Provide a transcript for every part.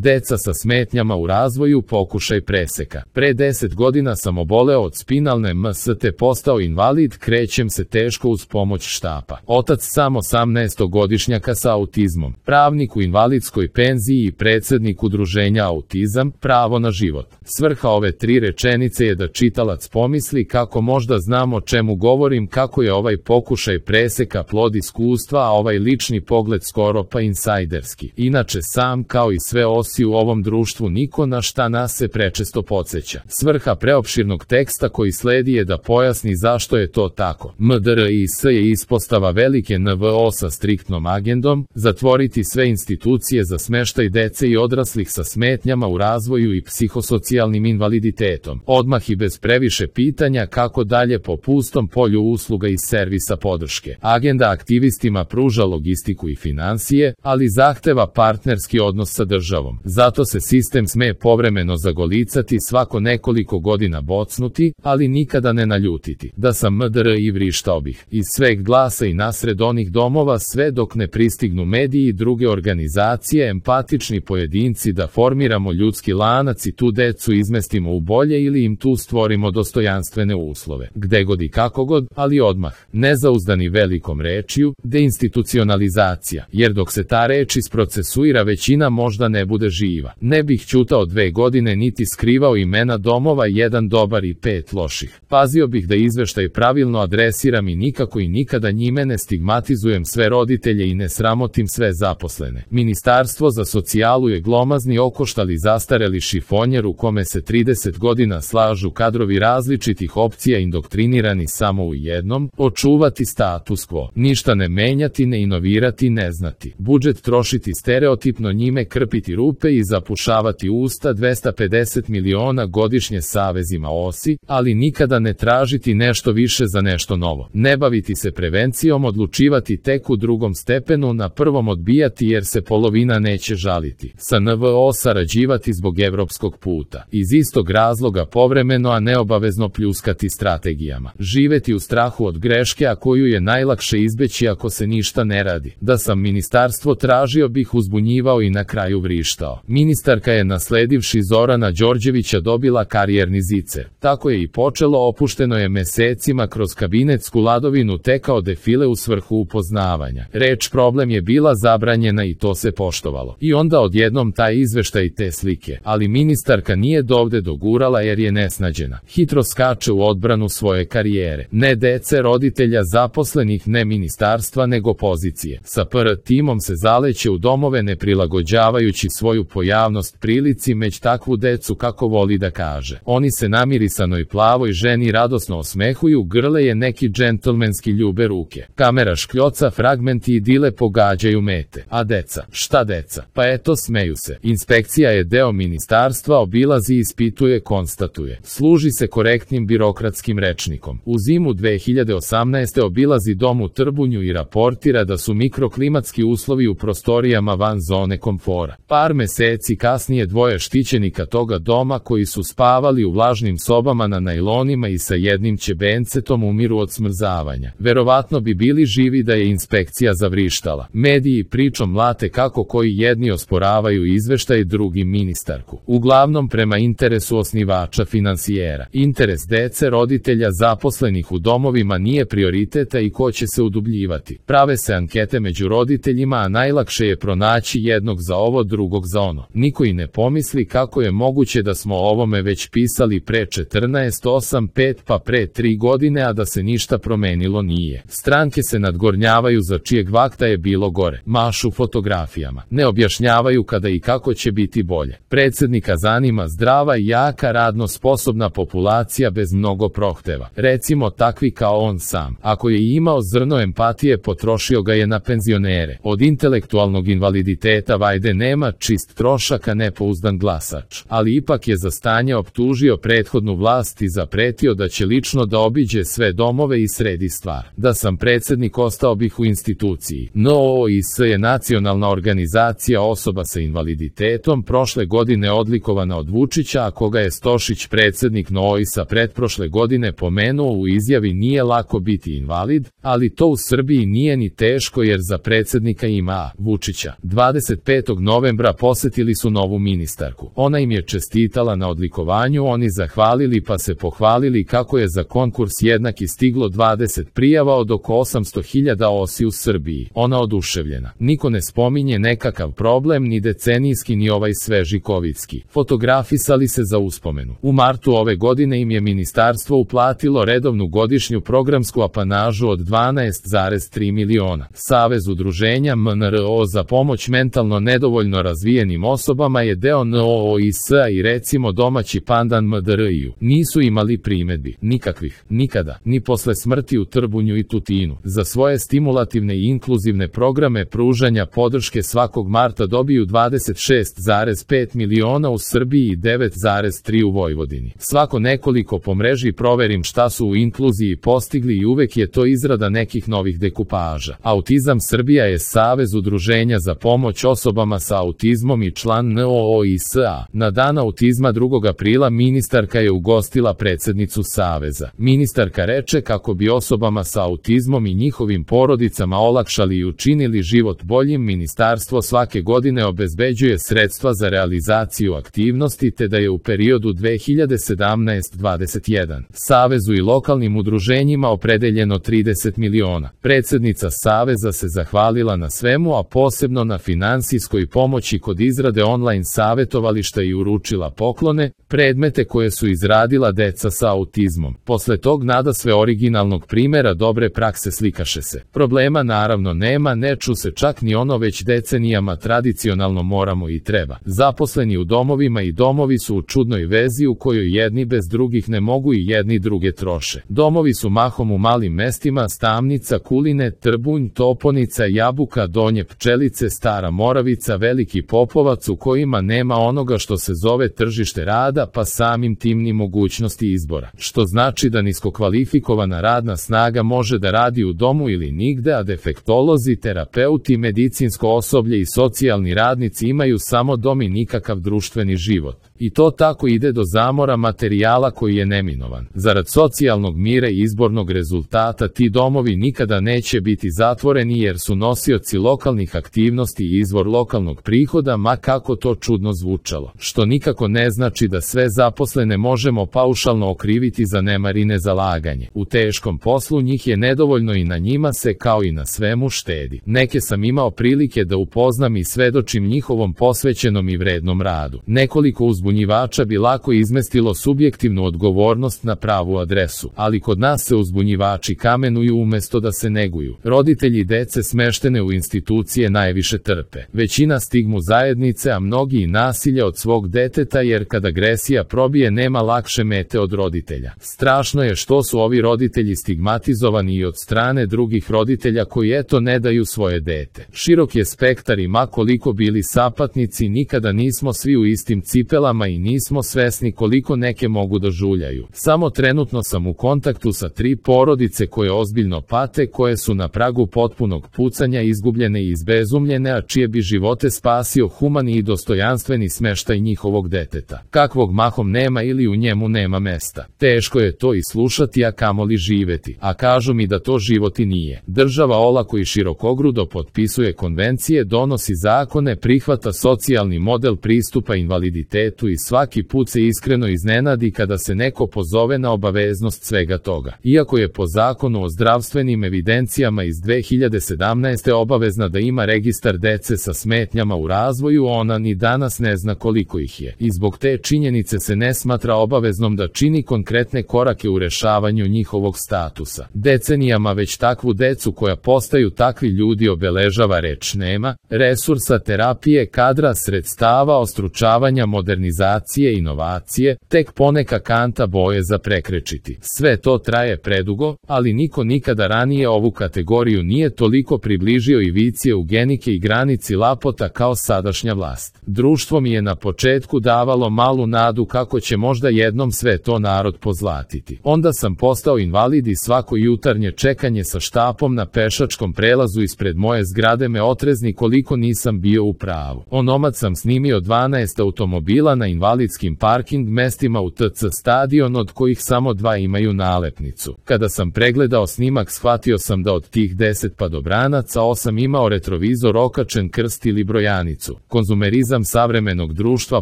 Deca sa smetnjama u razvoju, pokušaj preseka. Pre 10 godina sam oboleo od spinalne MS te postao invalid, krećem se teško uz pomoć štapa. Otac samo 18-godišnjaka sa autizmom, pravnik u invalidskoj penziji i predsjednik udruženja Autizam, pravo na život. Svrha ove 3 rečenice je da čitalac pomisli kako možda znam o čemu govorim, kako je ovaj pokušaj preseka plod iskustva, a ovaj lični pogled skoro pa insajderski. Inače sam, kao i sve osi u ovom društvu, niko na šta nas se prečesto podsjeća. Svrha preopširnog teksta koji sledi je da pojasni zašto je to tako. MDRIS je ispostava velike NVO sa striktnom agendom, zatvoriti sve institucije za smeštaj dece i odraslih sa smetnjama u razvoju i psihosocijalnim invaliditetom. Odmah i bez previše pitanja kako dalje po pustom polju usluga i servisa podrške. Agenda aktivistima pruža logistiku i financije, ali zahteva partnerski odnos sa državom. Zato se sistem sme povremeno zagolicati, svako nekoliko godina bocnuti, ali nikada ne naljutiti. Da sam MDR i vrištao bih iz sveg glasa i nasred onih domova sve dok ne pristignu mediji i druge organizacije, empatični pojedinci, da formiramo ljudski lanac i tu decu izmestimo u bolje ili im tu stvorimo dostojanstvene uslove. Gde god i kako god, ali odmah. Nezauzdani velikom rečju, deinstitucionalizacija, jer dok se ta reč isprocesuira većina možda ne bude živa. Ne bih ćutao 2 godine niti skrivao imena domova, 1 dobar i 5 loših. Pazio bih da izveštaj pravilno adresiram i nikako i nikada njime ne stigmatizujem sve roditelje i ne sramotim sve zaposlene. Ministarstvo za socijalu je glomazni okoštali zastareli šifonjer u kome se 30 godina slažu kadrovi različitih opcija indoktrinirani samo u jednom, očuvati status quo, ništa ne menjati, ne inovirati, ne znati. Budžet trošiti stereotipno, njime krpiti rupe i zapušavati usta, 250 miliona godišnje savezima osi, ali nikada ne tražiti nešto više za nešto novo. Ne baviti se prevencijom, odlučivati tek u drugom stepenu, na prvom odbijati jer se polovina neće žaliti. Sa NVO sarađivati zbog evropskog puta. Iz istog razloga povremeno, a neobavezno pljuskati strategijama. Živeti u strahu od greške, a koju je najlakše izbeći ako se ništa ne radi. Da sam ministarstvo tražio bih uzbunjivao i na kraju vrištao. Ministarka je nasledivši Zorana Đorđevića dobila karijerni zicer. Tako je i počelo, opušteno je mesecima kroz kabinetsku ladovinu tekao defile u svrhu upoznavanja. Reč problem je bila zabranjena i to se poštovalo. I onda odjednom taj izveštaj te slike, ali ministarka nije dovde dogurala jer je nesnađena. Hitro skače u odbranu svoje karijere. Ne dece, roditelja, zaposlenih, ne ministarstva, nego pozicije. Sa PR timom se zaleće u domove ne prilagođavajući svoju pojavnost prilici, meć takvu decu kako voli da kaže. Oni se namirisanoj plavoj ženi radosno osmehuju, grle je neki džentlmenski ljube ruke. Kamera škljoca, fragmenti idile pogađaju mete. A deca? Šta deca? Pa eto, smeju se. Inspekcija je deo ministarstva, obilazi, ispituje, konstatuje. Služi se korektnim birokratskim rečnikom. U zimu 2018. obilazi dom u Trbunju i raportira da su mikroklimatski uslovi u prostorijama van zone komfora. Par meseci kasnije 2 štićenika toga doma koji su spavali u vlažnim sobama na najlonima i sa jednim ćebencetom umiru od smrzavanja. Verovatno bi bili živi da je inspekcija zavrištala. Mediji pričom mlate kako koji jedni osporavaju izveštaj, drugi ministarku. Uglavnom prema interesu osnivača finansijera. Interes dece, roditelja, zaposlenih u domovima nije prioriteta i ko će se udubljivati. Prave se ankete među roditeljima, a najlakše je pronaći jednog za ovo, drugog za ono. Niko i ne pomisli kako je moguće da smo o ovome već pisali pre 14, 8, 5 pa pre 3 godine, a da se ništa promenilo nije. Stranke se nadgornjavaju za čijeg vakta je bilo gore. Mašu fotografijama. Ne objašnjavaju kada i kako će biti bolje. Predsjednika zanima zdrava i jaka radno sposobna populacija bez mnogo prohteva. Recimo takvi kao on sam. Ako je imao zrno empatije, potrošio ga je na penzionere. Od intelektualnog invaliditeta vajde nema, čist trošak, a nepouzdan glasač. Ali ipak je za stanje optužio prethodnu vlast i zapretio da će lično da obiđe sve domove i sredi stvar. Da sam predsjednik, ostao bih u instituciji. NOOIS je nacionalna organizacija osoba sa invaliditetom, prošle godine odlikovana od Vučića, a koga je Stošić, predsjednik NOOIS-a, pretprošle godine pomenuo u izjavi: nije lako biti invalid, ali to u Srbiji nije ni teško jer za predsjednika ima Vučića. 25. novembra posetili su novu ministarku. Ona im je čestitala na odlikovanju, oni zahvalili pa se pohvalili kako je za konkurs jednaki stiglo 20 prijava od oko 800.000 osi u Srbiji. Ona oduševljena. Niko ne spominje nekakav problem, ni decenijski ni ovaj sveži kovidski. Fotografisali se za uspomenu. U martu ove godine im je ministarstvo uplatilo redovnu godišnju programsku apanažu od 12,3 miliona. Savez udruženja MNRO za pomoć mentalno nedovoljno razvijenim osobama je deo NOOIS-a i recimo domaći pandan MDR-u. Nisu imali primedbi, nikakvih, nikada, ni posle smrti u Trbunju i Tutinu. Za svoje stimulativne i inkluzivne programe pružanja podrške svakog marta dobiju 26,5 miliona u Srbiji i 9,3 u Vojvodini. Svako nekoliko po mreži proverim šta su u inkluziji postigli i uvek je to izrada nekih novih dekupaža. Autizam Srbija je savez udruženja za pomoć osobama sa autizmom i član NOOIS-a. Na dan autizma 2. aprila ministarka je ugostila predsednicu saveza. Ministarka reče kako bi osobama sa autizmom i njihovim porodicama olakšali i učinili život boljim, ministarstvo svake godine obezbeđuje sredstva za realizaciju aktivnosti te da je u periodu 2017-21 savezu i lokalnim udruženjima opredeljeno 30 miliona. Predsednica saveza se zahvalila na svemu, a posebno na finansijskoj pomoći kod izrade online savetovališta i uručila poklone, predmete koje su izradila deca sa autizmom. Posle tog nadasve originalnog primera dobre prakse slikaše se. Problema naravno nema, ne ču se čak ni ono već decenijama tradicionalno moramo i treba. Zaposleni u domovima i domovi su u čudnoj vezi u kojoj jedni bez drugih ne mogu i jedni druge troše. Domovi su mahom u malim mestima: Stamnica, Kuline, Trbunj, Toponica, Jabuka, Donje Pčelice, Stara Moravica, Veliki Popovac, u kojima nema onoga što se zove tržište rada, pa samim tim ni mogućnosti izbora. Što znači da niskokvalifikovana radna snaga može da radi u domu ili nigde, a defektolozi, terapeuti, medicinsko osoblje i socijalni radnici imaju samo dom i nikakav društveni život. I to tako ide do zamora materijala koji je neminovan. Zarad socijalnog mira i izbornog rezultata ti domovi nikada neće biti zatvoreni jer su nosioci lokalnih aktivnosti i izvor lokalnog prihoda, ma kako to čudno zvučalo. Što nikako ne znači da sve zaposlene možemo paušalno okriviti za nemar i nezalaganje. U teškom poslu njih je nedovoljno i na njima se kao i na svemu štedi. Neke sam imao prilike da upoznam i svedočim njihovom posvećenom i vrednom radu. Nekoliko uzbunjivača bi lako izmestilo subjektivnu odgovornost na pravu adresu, ali kod nas se uzbunjivači kamenuju umesto da se neguju. Roditelji dece smeštene u institucije najviše trpe. Većina stigmu zajednice, a mnogi i nasilje od svog deteta, jer kad agresija probije nema lakše mete od roditelja. Strašno je što su ovi roditelji stigmatizovani i od strane drugih roditelja koji eto ne daju svoje dete. Širok je spektar i ma koliko bili sapatnici, nikada nismo svi u istim cipelama i nismo svesni koliko neke mogu da žuljaju. Samo trenutno sam u kontaktu sa 3 porodice koje ozbiljno pate, koje su na pragu potpunog pucanja, izgubljene i izbezumljene, a čije bi živote spasio humani i dostojanstveni smeštaj njihovog deteta, kakvog mahom nema ili u njemu nema mesta. Teško je to i slušati, a kamoli živeti, a kažu mi da to život i nije. Država olako i širokogrudo potpisuje konvencije, donosi zakone, prihvata socijalni model pristupa invaliditetu i svaki put se iskreno iznenadi kada se neko pozove na obaveznost svega toga. Iako je po zakonu o zdravstvenim evidencijama iz 2017. obavezna da ima registar dece sa smetnjama u razvoju, ona ni danas ne zna koliko ih je. I zbog te činjenice se ne smatra obaveznom da čini konkretne korake u rešavanju njihovog statusa. Decenijama već takvu decu koja postaju takvi ljudi obeležava reč nema, resursa, terapije, kadra, sredstava, ostručavanja, modernizacije, inovacije, tek poneka kanta boje za prekrečiti. Sve to traje predugo, ali niko nikada ranije ovu kategoriju nije toliko približio ivici eugenike i granici lapota kao sadašnja vlast. Društvo mi je na početku davalo malu nadu kako će možda jednom sve to narod pozlatiti. Onda sam postao invalid i svako jutarnje čekanje sa štapom na pešačkom prelazu ispred moje zgrade me otrezni koliko nisam bio u pravu. Onomad sam snimio 12 automobila na invalidskim parking mestima u TC stadion, od kojih samo 2 imaju nalepnicu. Kada sam pregledao snimak, shvatio sam da od tih 10 padobranaca 8 imao retrovizor, okačen krst ili brojanicu. Konzumerizam savremenog društva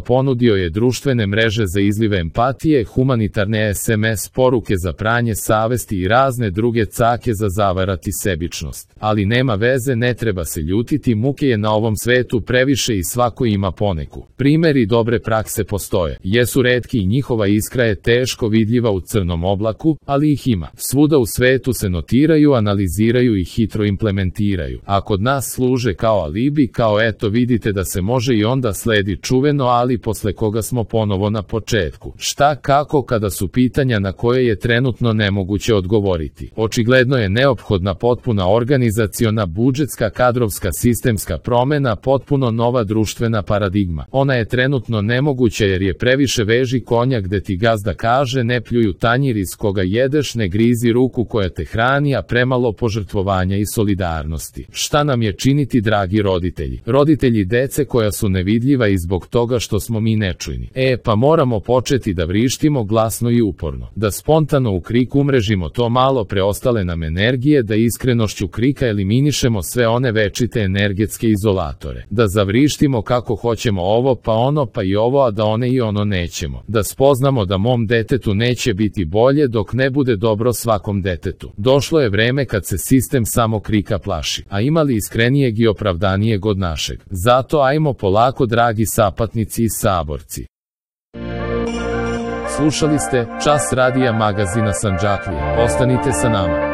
ponudio je društvene mreže za izlive empatije, humanitarne SMS poruke za pranje savesti i razne druge cake za zavarati sebičnost. Ali nema veze, ne treba se ljutiti, muke je na ovom svetu previše i svako ima poneku. Primeri dobre prakse postoje, jesu retki i njihova iskra je teško vidljiva u crnom oblaku, ali ih ima. Svuda u svetu se notiraju, analiziraju i hitro implementiraju. A kod nas služe kao alibi, kao eto vidite da se može i onda sledi čuveno ali posle koga smo ponovo na početku. Šta, kako kada su pitanja na koje je trenutno nemoguće odgovoriti. Očigledno je neophodna potpuna organizaciona, budžetska, kadrovska, sistemska promena, potpuno nova društvena paradigma. Ona je trenutno nemoguća jer je previše veži konja gde ti gazda kaže ne pljuju tanjir iz koga jedeš, ne grizi ruku koja te hrani, a premalo požrtvovanja i solidarnosti. Šta nam je činiti, dragi roditelji? Roditelji dece koja su nevidljiva i zbog toga što smo mi nečujni. Pa moramo početi da vrištimo glasno i uporno. Da spontano u krik umrežimo to malo preostale nam energije, da iskrenošću krika eliminišemo sve one večite energetske izolatore. Da zavrištimo kako hoćemo ovo pa ono pa i ovo, a da one i ono nećemo. Da spoznamo da mom detetu neće biti bolje dok ne bude dobro svakom detetu. Došlo je vreme kad se sistem samo krika plaši, a imali iskrenijeg i opravdanijeg od našeg. Zato ajmo polako, dragi sapatnici i saborci. Slušali ste Čas radija magazina Sandžaklije. Ostanite sa nama.